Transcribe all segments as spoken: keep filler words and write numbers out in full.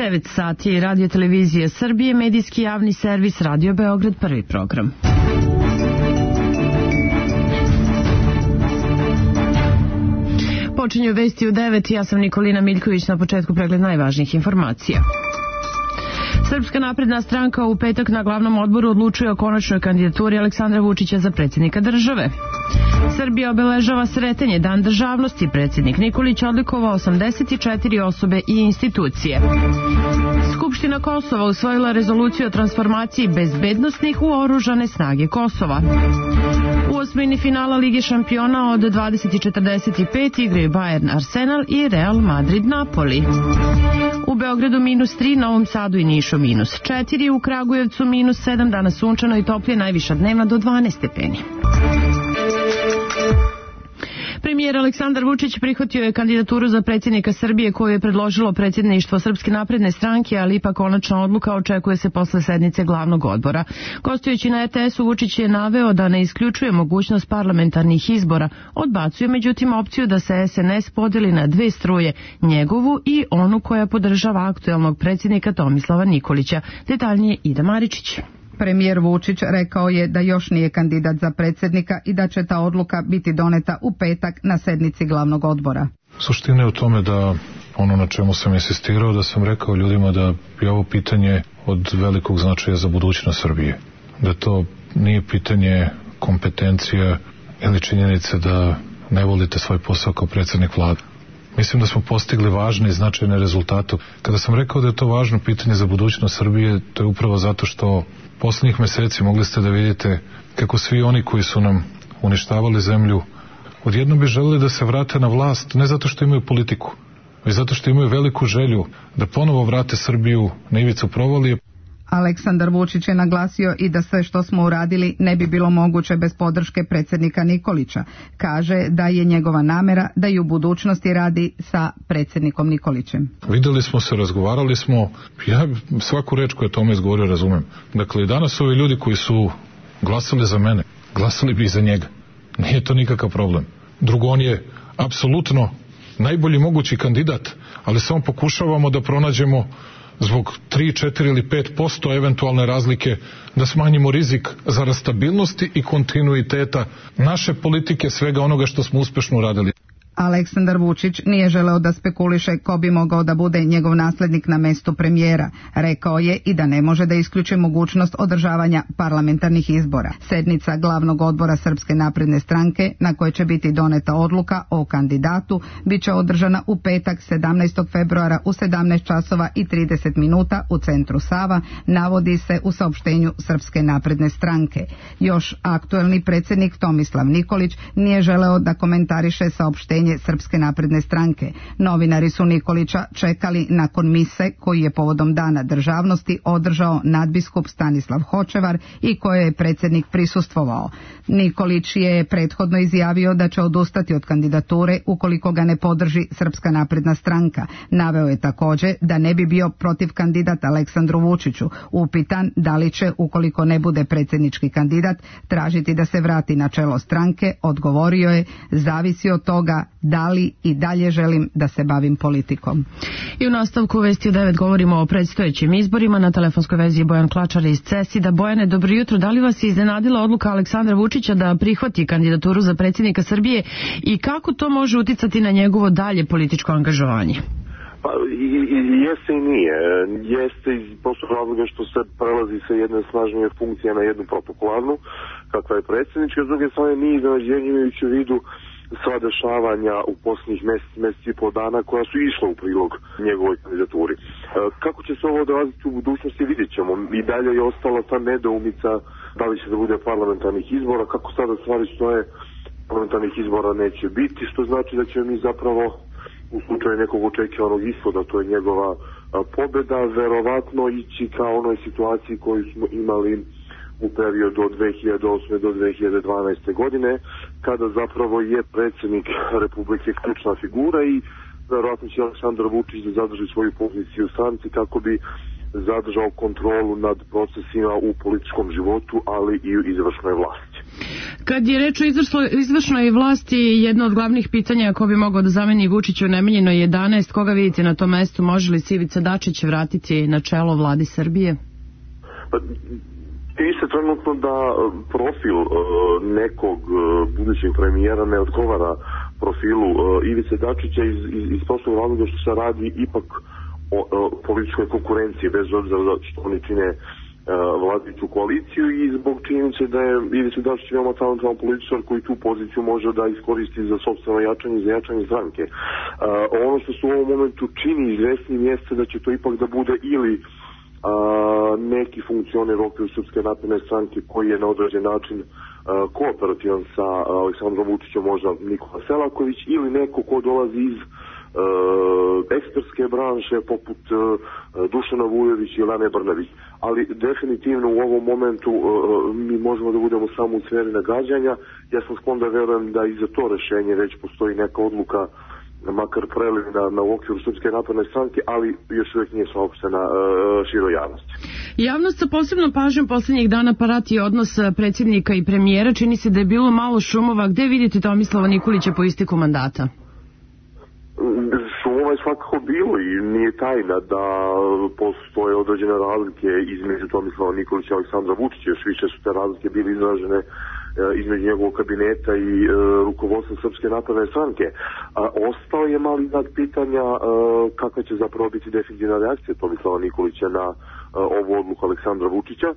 devet sati, Radio Televizija Srbije, medijski javni servis Radio Beograd, prvi program. Počinju vesti u devet, ja sam Nikolina Miljković, na početku pregled najvažnijih informacija. Srpska napredna stranka u petak na glavnom odboru odlučuje o konačnoj kandidaturi Aleksandra Vučića za predsjednika države. Srbija obeležava Sretenje, dan državnosti. Predsjednik Nikolić odlikovao osamdeset četiri osobe i institucije. Skupština Kosova usvojila rezoluciju o transformaciji bezbednosnih u oružane snage Kosova. U osmini finala Lige šampiona od dvadeset četrdeset pet igraju Bayern Arsenal i Real Madrid Napoli. U Beogradu minus tri, Novom Sadu i Nišu minus četiri, u Kragujevcu minus sedam, danas sunčano i toplije, najviša dnevna do dvanaest stepeni. Premijer Aleksandar Vučić prihvatio je kandidaturu za predsjednika Srbije koju je predložilo predsjedništvo Srpske napredne stranke, ali ipak konačna odluka očekuje se posle sednice glavnog odbora. Gostujući na er te esu, Vučić je naveo da ne isključuje mogućnost parlamentarnih izbora, odbacuje međutim opciju da se es en es podeli na dve struje, njegovu i onu koja podržava aktuelnog predsjednika Tomislava Nikolića. Detaljnije Ida Maričić. Premijer Vučić rekao je da još nije kandidat za predsjednika i da će ta odluka biti doneta u petak na sednici glavnog odbora. Suština je u tome da ono na čemu sam insistirao, da sam rekao ljudima da je ovo pitanje od velikog značaja za budućnost Srbije. Da to nije pitanje kompetencija ili činjenice da ne volite svoj posao kao predsjednik vlade. Mislim da smo postigli važne i značajne rezultate. Kada sam rekao da je to važno pitanje za budućnost Srbije, to je upravo zato što posljednjih meseci mogli ste da vidite kako svi oni koji su nam uništavali zemlju odjednom bi želeli da se vrate na vlast, ne zato što imaju politiku, već zato što imaju veliku želju da ponovo vrate Srbiju na ivicu provalije. Aleksandar Vučić je naglasio i da sve što smo uradili ne bi bilo moguće bez podrške predsjednika Nikolića. Kaže da je njegova namera da i u budućnosti radi sa predsjednikom Nikolićem. Videli smo se, razgovarali smo, ja svaku reč koju je tome izgovorio razumem. Dakle, danas ovi ljudi koji su glasali za mene, glasali bi i za njega. Nije to nikakav problem. Drugo, on je apsolutno najbolji mogući kandidat, ali samo pokušavamo da pronađemo zbog tri, četiri ili pet posto eventualne razlike da smanjimo rizik za stabilnosti i kontinuiteta naše politike, svega onoga što smo uspešno uradili. Aleksandar Vučić nije želeo da spekuliše ko bi mogao da bude njegov naslednik na mestu premijera. Rekao je i da ne može da isključi mogućnost održavanja parlamentarnih izbora. Sednica glavnog odbora Srpske napredne stranke, na kojoj će biti doneta odluka o kandidatu, bit će održana u petak sedamnaestog februara u sedamnaest časova i trideset minuta u centru Sava, navodi se u saopštenju Srpske napredne stranke. Još aktuelni predsjednik Tomislav Nikolić nije želeo da komentariše saopštenje Srpske napredne stranke. Novinari su Nikolića čekali nakon mise koji je povodom Dana državnosti održao nadbiskup Stanislav Hočevar i koje je predsjednik prisustvovao. Nikolić je prethodno izjavio da će odustati od kandidature ukoliko ga ne podrži Srpska napredna stranka. Naveo je također da ne bi bio protiv kandidata Aleksandru Vučiću. Upitan da li će, ukoliko ne bude predsjednički kandidat, tražiti da se vrati na čelo stranke, odgovorio je: zavisi od toga da li i dalje želim da se bavim politikom. I u nastavku vesti u devet govorimo o predstojećim izborima. Na telefonskoj vezi je Bojan Klačar iz Cesida. Bojane, dobro jutro. Da li vas je iznenadila odluka Aleksandra Vučića da prihvati kandidaturu za predsjednika Srbije i kako to može uticati na njegovo dalje političko angažovanje? Pa i, i, jeste i nije. Jeste iz prostog razloga što se prelazi sa jedne snažnije funkcije na jednu protokolarnu, kakva je predsjednička. S druge strane nije iznenađenje imajući u vidu sva dešavanja u posljednjih mjesec, mjesec i pol dana koja su išla u prilog njegovoj kandidaturi. E, kako će se ovo odraziti u budućnosti vidjet ćemo. I dalje je ostala ta nedoumica da li će da bude parlamentarnih izbora. Kako sada stvari stoje, parlamentarnih izbora neće biti, što znači da ćemo mi zapravo u slučaju nekog očekivanog ishoda, to je njegova a, pobjeda, verovatno ići kao onoj situaciji koju smo imali u periodu od dve hiljade osme do dve hiljade dvanaeste. godine, kada zapravo je predsjednik Republike ključna figura i verovatno će Aleksandar Vučić da zadrži svoju poziciju u stranci kako bi zadržao kontrolu nad procesima u političkom životu, ali i u izvršnoj vlasti. Kad je reč o izvršnoj vlasti, jedno od glavnih pitanja ko bi mogao da zameni Vučića u Nemanjinoj jedanaest, koga vidite na tom mestu, može li se Ivica Dačić vratiti na čelo vladi Srbije? Pa, ti se trenutno da profil uh, nekog uh, budućeg premijera ne odgovara profilu uh, Ivice Dačića iz, iz, iz prostog razloga što se radi ipak o, o političkoj konkurenciji, bez obzira što oni čine uh, vladajuću koaliciju, i zbog činjenice da je Ivica Dačić veoma talentovan političar koji tu poziciju može da iskoristi za sopstveno jačanje i za jačanje stranke. Uh, ono što se u ovom momentu čini izvesnim jeste da će to ipak da bude ili Uh, neki funkcioner u okviru Srpske napredne stranke koji je na određen način uh, kooperativan sa uh, Aleksandrom Vučićem, možda Nikola Selaković, ili neko ko dolazi iz uh, ekspertske branše poput uh, Dušana Vujović ili Ane Brnabić. Ali definitivno u ovom momentu uh, mi možemo da budemo samo u sferi nagađanja. Ja sam sklon da verujem da i za to rešenje već postoji neka odluka, makar prelivna na okviru Srpske napredne stranke, ali još uvijek nije saopštena uh, široj javnosti. Javnost sa posebnom pažnjom poslednjih dana prati odnos predsjednika i premijera. Čini se da je bilo malo šumova. Gde vidite Tomislava Nikolića po isteku mandata? Šumova je svakako bilo i nije tajna da postoje određene razlike između Tomislava Nikolića i Aleksandra Vučića. Još više su te razlike bile izražene između njegovog kabineta i e, rukovodstva Srpske napredne stranke. A, ostao je mali znak pitanja e, kakva će zapravo biti definitivna reakcija Tomislava Nikolića na e, ovu odluku Aleksandra Vučića.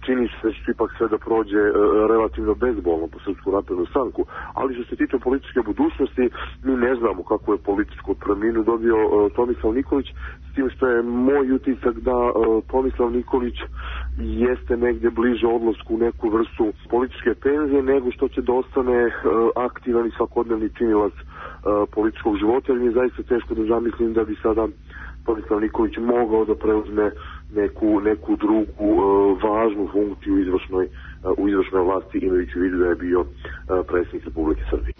Čini se da će ipak sve da prođe e, relativno bezbolno po Srpsku naprednu stranku, ali što se tiče političke budućnosti, mi ne znamo kako je političku promjenu dobio e, Tomislav Nikolić, s tim što je moj utisak da e, Tomislav Nikolić jeste negdje bliže odlasku u neku vrstu političke penzije nego što će da ostane uh, aktivan i svakodnevni činilac uh, političkog života, jer mi je zaista teško da zamislim da bi sada Tomislav Nikolić mogao da preuzme neku, neku drugu uh, važnu funkciju u izvršnoj, uh, u izvršnoj vlasti, imajući u vidu da je bio uh, predsjednik Republike Srbije.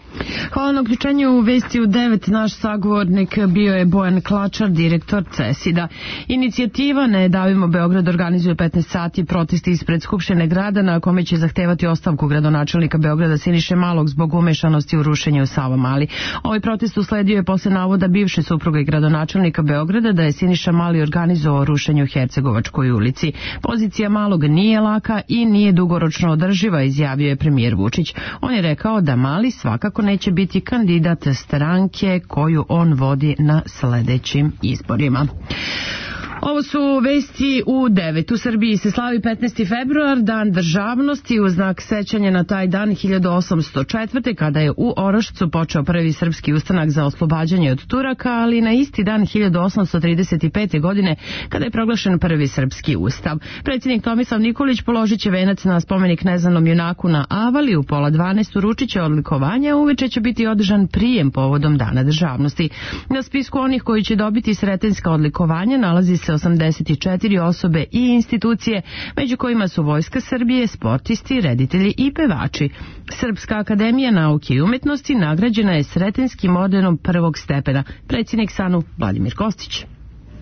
Hvala na uključenju u Vesti u devet. Naš sagovornik bio je Bojan Klačar, direktor CESID-a. Inicijativa Ne davimo Beograd organizuje petnaest sati protesti ispred Skupštine grada na kome će zahtevati ostavku gradonačelnika Beograda Siniše Malog zbog umešanosti u rušenje u Savamali. Ovaj protest usledio je posle navoda bivše supruge gradonačelnika Beograda da je Siniša Mali organizovao rušenje u Hercegovačkoj ulici. Pozicija Malog nije laka i nije dugoročno održiva, izjavio je premijer Vučić. On je rekao da Mali svakako neće biti kandidat stranke koju on vodi na sledećim izborima. Ovo su Vesti u devet. U Srbiji se slavi petnaesti februar, dan državnosti, u znak sećanja na taj dan hiljadu osamsto četvrte. kada je u Orašcu počeo prvi srpski ustanak za oslobađanje od Turaka, ali na isti dan hiljadu osamsto trideset pete. godine kada je proglašen prvi srpski ustav. Predsjednik Tomislav Nikolić položit će venac na spomenik neznanom junaku na Avali, u pola dvanaest uručit će odlikovanja, uveče će biti održan prijem povodom dana državnosti. Na spisku onih koji će dobiti sretenjska odlikovanja nalazi se osamdeset četiri osobe i institucije, među kojima su Vojska Srbije, sportisti, reditelji i pevači. Srpska akademija nauke i umetnosti nagrađena je sretenskim ordenom prvog stepena. Predsjednik SANU Vladimir Kostić.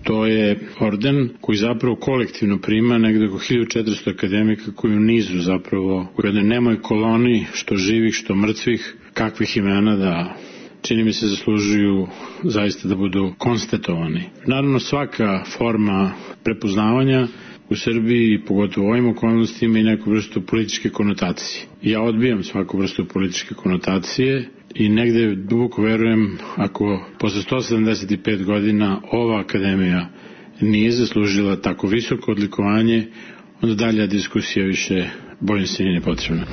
To je orden koji zapravo kolektivno prima negde oko hiljadu četiristo akademika koji u nizu zapravo u jednoj nemoj koloni, što živih, što mrtvih, kakvih imena da čini mi se zaslužuju zaista da budu konstatovani. Naravno, svaka forma prepoznavanja u Srbiji, pogotovo u ovim okolnostima, i neku vrstu političke konotacije. Ja odbijam svaku vrstu političke konotacije i negde duboko verujem, ako posle sto sedamdeset pet godina ova akademija nije zaslužila tako visoko odlikovanje, onda dalja diskusija više bojim se nije potrebna.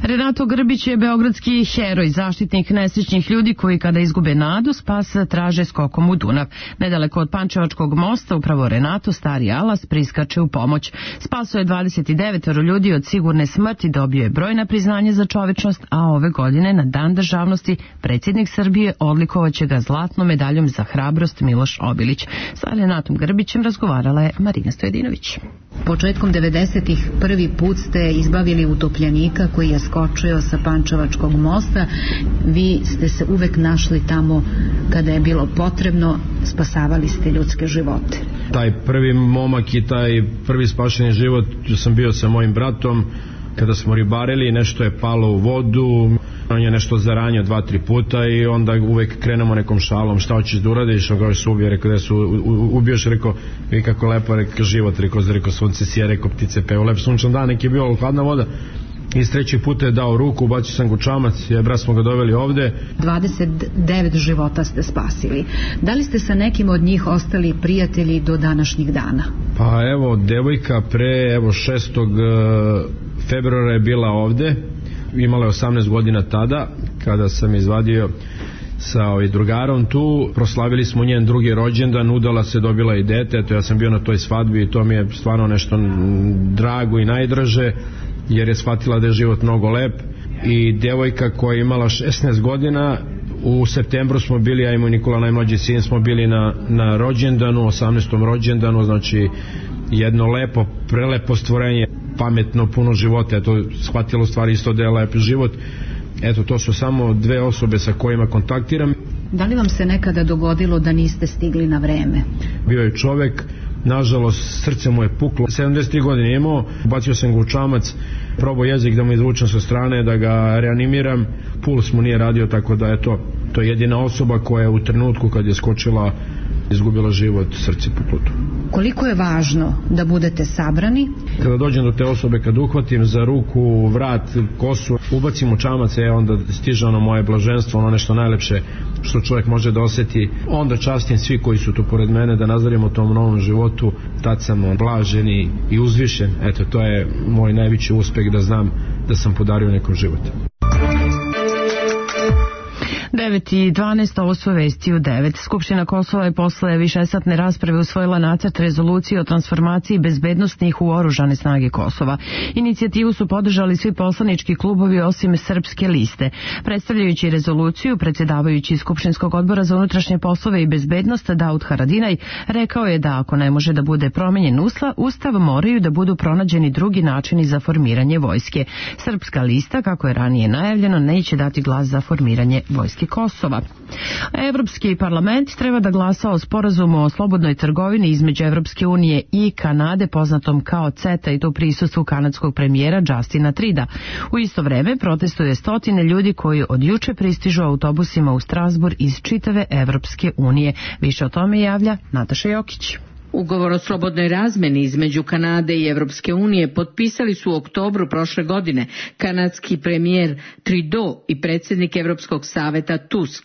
Renato Grbić je beogradski heroj, zaštitnik nesrećnih ljudi koji kada izgube nadu spas traže skokom u Dunav. Nedaleko od Pančevačkog mosta upravo Renato, stari alas, priskače u pomoć. Spaso je dvadeset devet ljudi od sigurne smrti, dobio je brojna priznanja za čovečnost, a ove godine na Dan državnosti predsjednik Srbije odlikovaće ga zlatnom medaljom za hrabrost Miloš Obilić. Sa Renatom Grbićem razgovarala je Marina Stojedinović. Početkom devedesetih prvi put ste izbavili utopljenika koji je skočio sa Pančevačkog mosta. Vi ste se uvek našli tamo kada je bilo potrebno, spasavali ste ljudske živote. Taj prvi momak i taj prvi spašeni život, ja sam bio sa mojim bratom, kada smo ribarili, nešto je palo u vodu, on je nešto zaranio dva, tri puta i onda uvek krenemo nekom šalom, šta hoćeš da uradiš, on kao se ubio, rekao da su ubioš, rekao, i kako lepo, rekao život, rekao, rekao sunce sije, rekao ptice peo, lep sunčan dan, neki je bio hladna voda. I s treći puta je dao ruku, ubacio sam gučamac, je brat smo ga doveli ovde. dvadeset devet života ste spasili. Da li ste sa nekim od njih ostali prijatelji do današnjih dana? Pa evo, devojka pre evo šestog februara je bila ovde, imala je osamnaest godina tada, kada sam izvadio sa ovaj drugarom tu, proslavili smo njen drugi rođendan, udala se, dobila i dete, eto ja sam bio na toj svadbi i to mi je stvarno nešto drago i najdraže, jer je shvatila da je život mnogo lep. I devojka koja je imala šesnaest godina, u septembru smo bili, ja i moj Nikola, najmlađi sin, smo bili na, na rođendanu, osamnaestom rođendanu, znači jedno lepo, prelepo stvorenje, pametno, puno života, eto, shvatilo stvari isto da je lep život. Eto, to su samo dve osobe sa kojima kontaktiram. Da li vam se nekada dogodilo da niste stigli na vreme? Bio je čovek, nažalost, srce mu je puklo, sedamdeset tri godine imao, bacio sam ga u čamac, probao jezik da mu izvučem sa strane, da ga reanimiram, puls mu nije radio, tako da je to, to je jedina osoba koja je u trenutku kad je skočila izgubila život, srce puknuto. Koliko je važno da budete sabrani? Kada dođem do te osobe, kad uhvatim za ruku, vrat, kosu, ubacim u čamac, je onda stiže ono moje blaženstvo, ono nešto najlepše što čovjek može da osjeti. Onda častim svi koji su tu pored mene da nazarimo tom novom životu, tad sam blažen i, i uzvišen. Eto, to je moj najveći uspeh, da znam da sam podario nekom život. devet i dvanaest, ovo su vesti u devet. Skupština Kosova je posle višesatne rasprave usvojila nacrt rezolucije o transformaciji bezbednostnih u oružane snage Kosova. Inicijativu su podržali svi poslanički klubovi osim Srpske liste. Predstavljajući rezoluciju, predsjedavajući Skupštinskog odbora za unutrašnje poslove i bezbednost Daud Haradinaj rekao je da ako ne može da bude promenjen ustav, moraju da budu pronađeni drugi načini za formiranje vojske. Srpska lista, kako je ranije najavljeno, neće dati glas za formiranje vojske Kosova. Evropski parlament treba da glasa o sporazumu o slobodnoj trgovini između Evropske unije i Kanade, poznatom kao CETA, i to u prisustvu kanadskog premijera Justina Truda. U isto vreme protestuje stotine ljudi koji od juče pristižu autobusima u Strasbourg iz čitave Evropske unije. Više o tome javlja Nataša Jokić. Ugovor o slobodnoj razmeni između Kanade i Evropske unije potpisali su u oktobru prošle godine kanadski premijer Trudeau i predsjednik Evropskog saveta Tusk.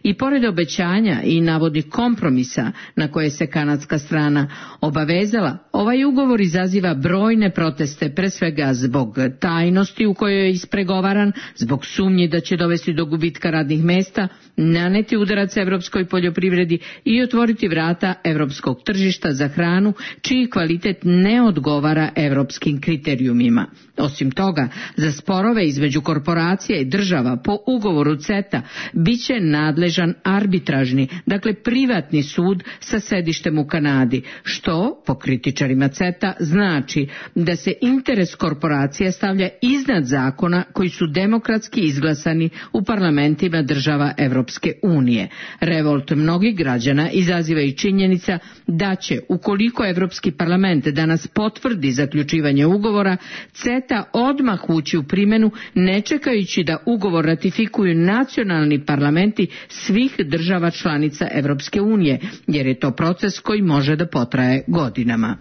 I pored obećanja i navodnih kompromisa na koje se kanadska strana obavezala, ovaj ugovor izaziva brojne proteste, pre svega zbog tajnosti u kojoj je ispregovaran, zbog sumnji da će dovesti do gubitka radnih mesta, naneti udarac evropskoj poljoprivredi i otvoriti vrata evropskog tržišta za hranu čiji kvalitet ne odgovara evropskim kriterijumima. Osim toga, za sporove između korporacija i država po ugovoru CETA biće nadležan arbitražni, dakle privatni sud sa sedištem u Kanadi, što, po kritičarima CETA, znači da se interes korporacija stavlja iznad zakona koji su demokratski izglasani u parlamentima država Evropske unije. Revolt mnogih građana izaziva i činjenica da će, ukoliko Evropski parlament danas potvrdi zaključivanje ugovora, CETA odmah ući u primjenu, ne čekajući da ugovor ratifikuju nacionalni parlamenti svih država članica Evropske unije, jer je to proces koji može da potraje godinama.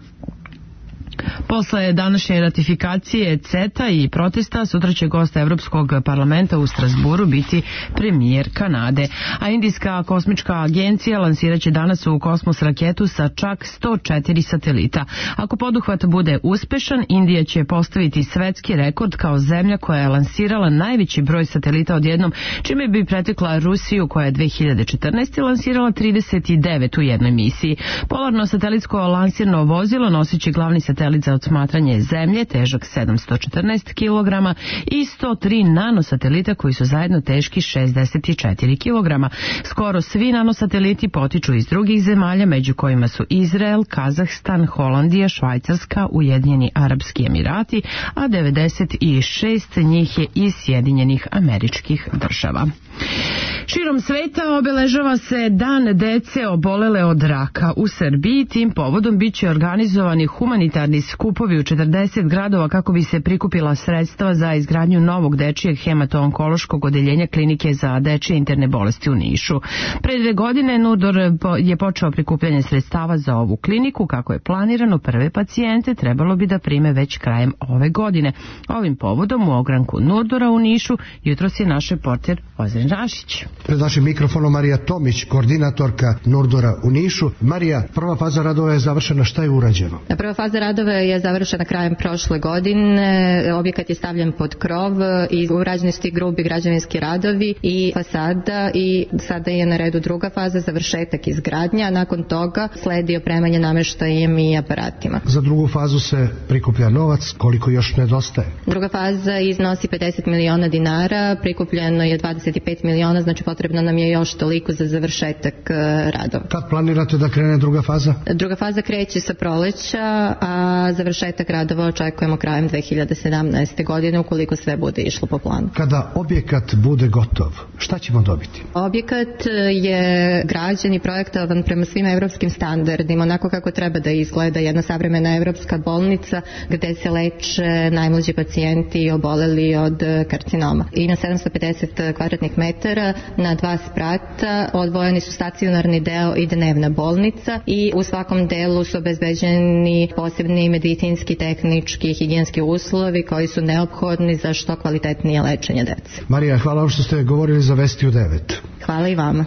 Posle današnje ratifikacije CETA i protesta, sutra će gost Evropskog parlamenta u Strasburu biti premijer Kanade. A Indijska kosmička agencija lansirat će danas u kosmos raketu sa čak sto četiri satelita. Ako poduhvat bude uspešan, Indija će postaviti svetski rekord kao zemlja koja je lansirala najveći broj satelita odjednom, čime bi pretekla Rusiju koja je dve hiljade četrnaeste. lansirala trideset devet u jednoj misiji. Polarno satelitsko lansirno vozilo nosit će glavni satelit za odsmatranje zemlje, težak sedamsto četrnaest kilograma, i sto tri nanosatelita koji su zajedno teški šezdeset četiri kilograma. Skoro svi nanosateliti potiču iz drugih zemalja, među kojima su Izrael, Kazahstan, Holandija, Švajcarska, Ujedinjeni Arapski Emirati, a devedeset šest njih je iz Sjedinjenih Američkih Država. Širom sveta obeležava se Dan dece obolele od raka. U Srbiji tim povodom biće organizovani humanitarni skupovi u četrdeset gradova kako bi se prikupila sredstva za izgradnju novog dečijeg hemato-onkološkog odeljenja klinike za dečije interne bolesti u Nišu. Pre dve godine Nurdor je počeo prikupljanje sredstava za ovu kliniku. Kako je planirano, prve pacijente trebalo bi da prime već krajem ove godine. Ovim povodom u ogranku Nurdora u Nišu jutros je naš reporter Ozren Rašić. Pred vašim mikrofonom Marija Tomić, koordinatorka Nurdora u Nišu. Marija, prva faza radova je završena, šta je urađeno? Prva faza radova je završena krajem prošle godine, objekat je stavljen pod krov i urađeni su ti grubi građevinski radovi i fasada i sada je na redu druga faza, završetak izgradnja, a nakon toga sledi opremanje nameštajem i aparatima. Za drugu fazu se prikuplja novac, koliko još nedostaje? Druga faza iznosi pedeset miliona dinara, prikupljeno je dvadeset pet miliona, znači potrebno nam je još toliko za završetak radova. Kad planirate da krene druga faza? Druga faza kreće sa proleća, a završetak radova očekujemo krajem dve hiljade sedamnaeste. godine ukoliko sve bude išlo po planu. Kada objekat bude gotov, šta ćemo dobiti? Objekat je građen i projektovan prema svim evropskim standardima, onako kako treba da izgleda jedna savremena evropska bolnica gde se leče najmlađi pacijenti oboleli od karcinoma. Ima sedamsto pedeset kvadratnih metara, na dva sprata, odvojeni su stacionarni deo i dnevna bolnica i u svakom delu su obezbeđeni posebni medicinski, tehnički, higijenski uslovi koji su neophodni za što kvalitetnije lečenje dece. Marija, hvala što ste govorili za Vesti u devet. Hvala i vama.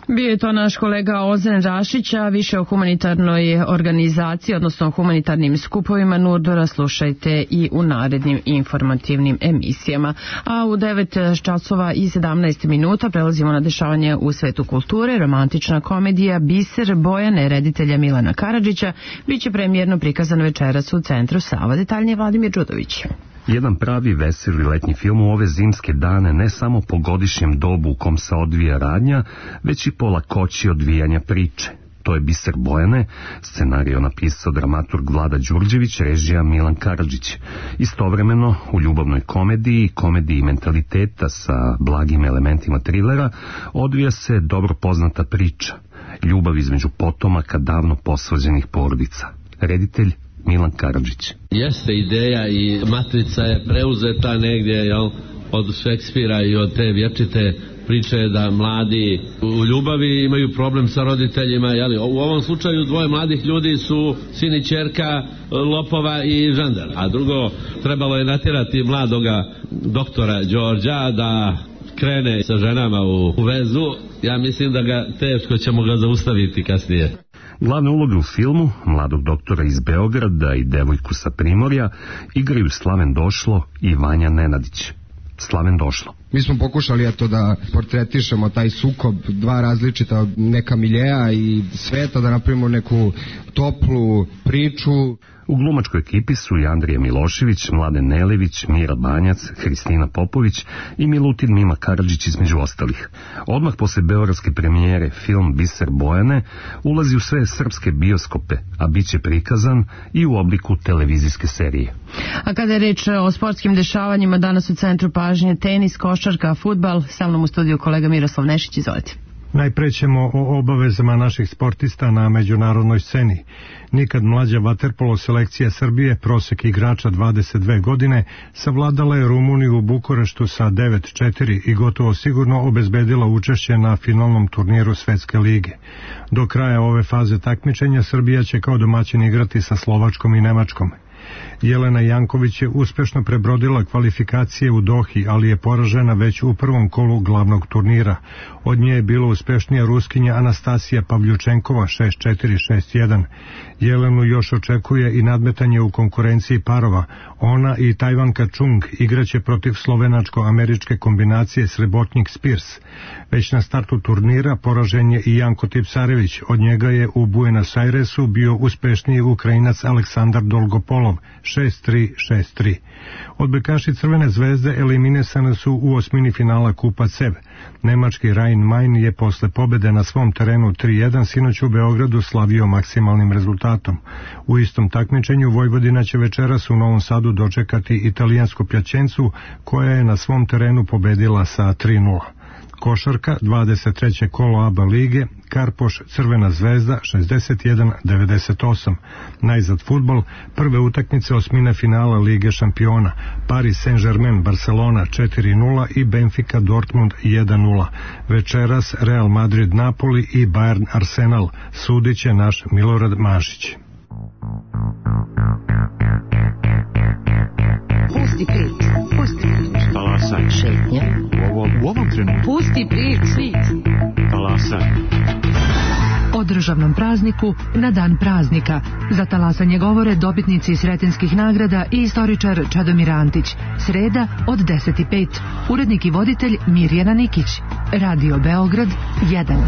Bio je to naš kolega Ozren Rašić, a više o humanitarnoj organizaciji, odnosno o humanitarnim skupovima Nurdora slušajte i u narednim informativnim emisijama. A u devet časova i sedamnaest minuta prelazimo na dešavanje u svetu kulture. Romantična komedija Biser Bojane reditelja Milana Karadžića biće premijerno prikazan večeras u Centru Sava. Detaljnije Vladimir Đudović. Jedan pravi veseli letnji film u ove zimske dane, ne samo po godišnjem dobu u kom se odvija radnja, već i po lakoći odvijanja priče. To je Biser Bojane, scenario napisao dramaturg Vlada Đurđević, režija Milan Karadžić. Istovremeno, u ljubavnoj komediji, komediji mentaliteta sa blagim elementima trilera, odvija se dobro poznata priča, ljubav između potomaka davno posvađenih porodica. Reditelj Milan Karadžić. Jeste ideja i matrica je preuzeta negdje, jel, od Šekspira i od te vječite priče da mladi u ljubavi imaju problem sa roditeljima, jel? U ovom slučaju dvoje mladih ljudi su sin i ćerka lopova i žandar, a drugo, trebalo je natjerati mladoga doktora Đorđa da krene sa ženama u, u vezu. Ja mislim da ga teško ćemo ga zaustaviti kasnije. Glavne uloge u filmu, mladog doktora iz Beograda i devojku sa Primorja, igraju Slaven Došlo i Vanja Nenadić. Slaven Došlo. Mi smo pokušali eto da portretišemo taj sukob, dva različita neka miljeja i sveta, da napravimo neku toplu priču. U glumačkoj ekipi su i Andrija Milošević, Mladen Nelević, Mira Banjac, Hristina Popović i Milutin Mima Karadžić između ostalih. Odmah posle beogradske premijere film Biser Bojane ulazi u sve srpske bioskope, a bit će prikazan i u obliku televizijske serije. A kada je reč o sportskim dešavanjima, danas u centru pažnje tenis, košarka, fudbal, sa mnom u studiju kolega Miroslav Nešić, izvolite. Najpre ćemo o obavezama naših sportista na međunarodnoj sceni. Nikad mlađa vaterpolo selekcija Srbije, prosek igrača dvadeset dve godine, savladala je Rumuniju u Bukureštu sa devet četiri i gotovo sigurno obezbedila učešće na finalnom turniru Svetske lige. Do kraja ove faze takmičenja Srbija će kao domaćin igrati sa Slovačkom i Nemačkom. Jelena Janković je uspešno prebrodila kvalifikacije u Dohi, ali je poražena već u prvom kolu glavnog turnira. Od nje je bilo uspešnija Ruskinja Anastasija Pavljučenkova šest četiri šest jedan. Jelenu još očekuje i nadmetanje u konkurenciji parova. Ona i Tajvanka Chung igraće protiv slovenačko-američke kombinacije Srebotnik-Spirs. Već na startu turnira poražen je i Janko Tipsarević. Od njega je u Buenos Airesu bio uspešniji Ukrajinac Aleksandar Dolgopolov šest tri šest tri. Odbojkaši Crvene zvezde eliminisane su u osmini finala Kupa C E V. Nemački Rhein-Main je posle pobede na svom terenu tri jedan sinoć u Beogradu slavio maksimalnim rezultatom. U istom takmičenju Vojvodina će večeras u Novom Sadu dočekati italijansku Pjačencu koja je na svom terenu pobedila sa tri nula. Košarka, dvadeset treće kolo A B A lige, Karpoš Crvena zvezda šezdeset jedan devedeset osam. Najzad fudbal, prve utakmice osmine finala Lige šampiona, Paris Saint-Germain Barcelona četiri nula i Benfica Dortmund jedan nula. Večeras Real Madrid Napoli i Bayern Arsenal. Sudit će naš Milorad Mašić. Pusti priču, pusti priču. Talasaj. Šetnja. U ovom, u ovom trenutku. Pusti priču, svit. Talasaj. O državnom prazniku na dan praznika. Za talasanje govore dobitnici Sretenskih nagrada i istoričar Čadomir Antić. Sreda od deset i pet. Urednik i voditelj Mirjana Nikić. Radio Beograd jedan.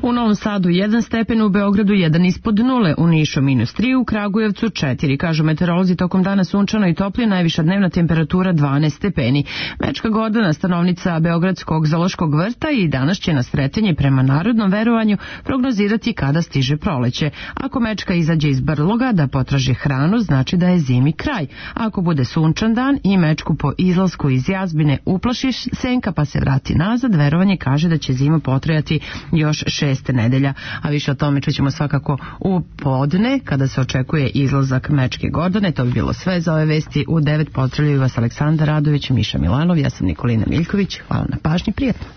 U Novom Sadu jedan stepen, u Beogradu jedan ispod nule, u Nišu minus tri, u Kragujevcu četiri. Kažu meteorolozi, tokom dana sunčano i toplije, najviša dnevna temperatura dvanaest stepeni. Mečka Gordana, stanovnica Beogradskog zoološkog vrta, i danas će na Sretenje prema narodnom verovanju prognozirati kada stiže proleće. Ako Mečka izađe iz brloga da potraži hranu, znači da je zimi kraj. Ako bude sunčan dan i Mečku po izlasku iz jazbine uplaši senka pa se vrati nazad, verovanje kaže da će zima potrajati još šest nedelja, a više o tome čućemo svakako u podne kada se očekuje izlazak Mečke Gordane. To bi bilo sve za ove vesti. U devet pozdravljaju vas Aleksandar Radović, Miša Milanov, ja sam Nikolina Miljković. Hvala na pažnji, prijatno.